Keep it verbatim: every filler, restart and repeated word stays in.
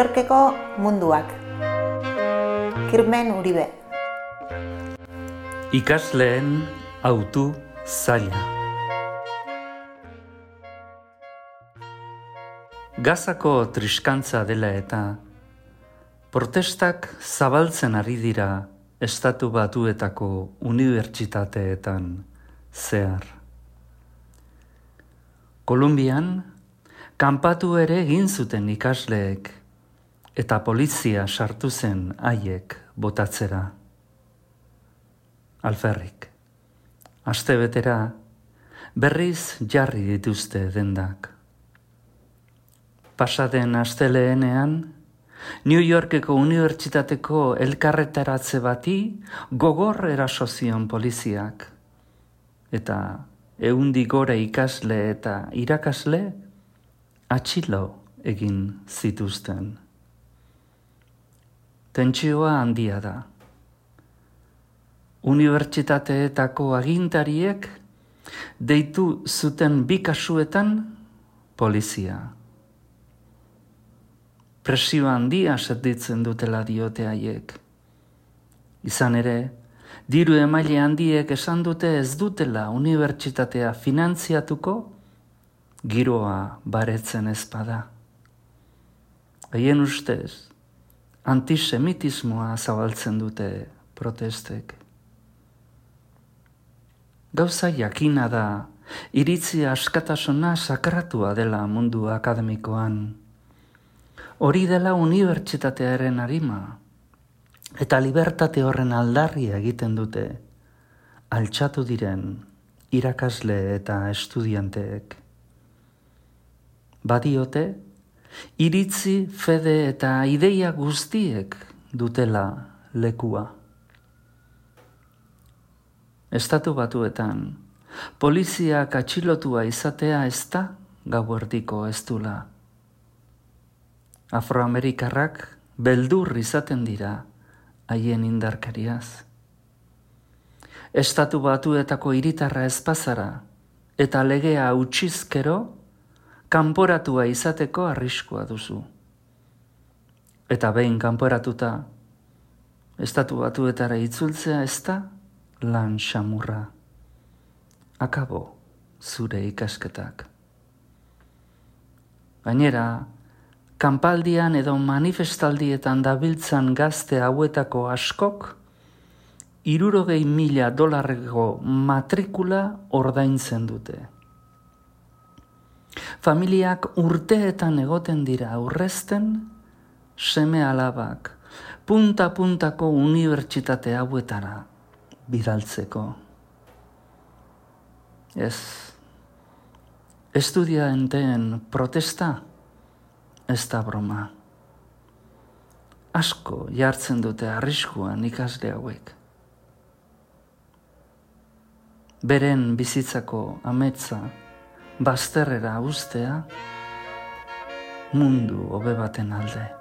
Yorkeko munduak. Kirmen Uribe. Ikasleen hautu zaila. Gazako triskantza dela eta protestak zabaltzen ari dira Estatu Batuetako unibertsitateetan zehar. Kolumbian, kanpatu ere egin zuten ikasleek eta polizia sartu zen haiek botatzera. Alferrik, astebetera berriz jarri dituzte dendak. Pasaden asteleenean, New Yorkeko unibertsitateko elkarretaratze bati gogor eraso zion poliziak, eta ehundi gora ikasle eta irakasle atxilo egin zituzten. Tentsioa handia da. Unibertsitateetako agintariek deitu zuten bi kasuetan polizia. Presio handia sentitzen dutela diote haiek. Izan ere, diru emaile handiek esan dute ez dutela unibertsitatea finantziatuko giroa baretzen ezpada. Haien ustez, antisemitismoa zabaltzen dute protestek. Gauza jakina da, iritzi askatasuna sakratua dela mundu akademikoan. Hori dela unibertsitatearen arima, eta libertate horren aldarria egiten dute altxatu diren irakasle eta estudianteek. Badiote, iritzi, fede eta ideia guztiek dutela lekua. Estatu Batuetan, poliziak atxilotua izatea ez da gauerdiko ez dula. Afroamerikarrak beldur izaten dira haien indarkariaz. Estatu Batuetako hiritarra ez bazara eta legea utxizkero kanporatua izateko arriskua duzu. Eta behin kanporatuta, Estatu Batuetara itzultzea ez da lan xamurra. Akabo zure ikasketak. Gainera, kanpaldian edo manifestaldietan dabiltzan gazte hauetako askok hirurogei mila dolarreko matrikula ordaintzen dute. Familiak urteetan egoten dira aurrezten seme alabak punta-puntako unibertsitate hauetara bidaltzeko. Ez, estudianteen protesta ez da broma. Asko jartzen dute arriskuan ikasle hauek. Beren bizitzako ametsa bazterrera uztea mundu hobe baten alde.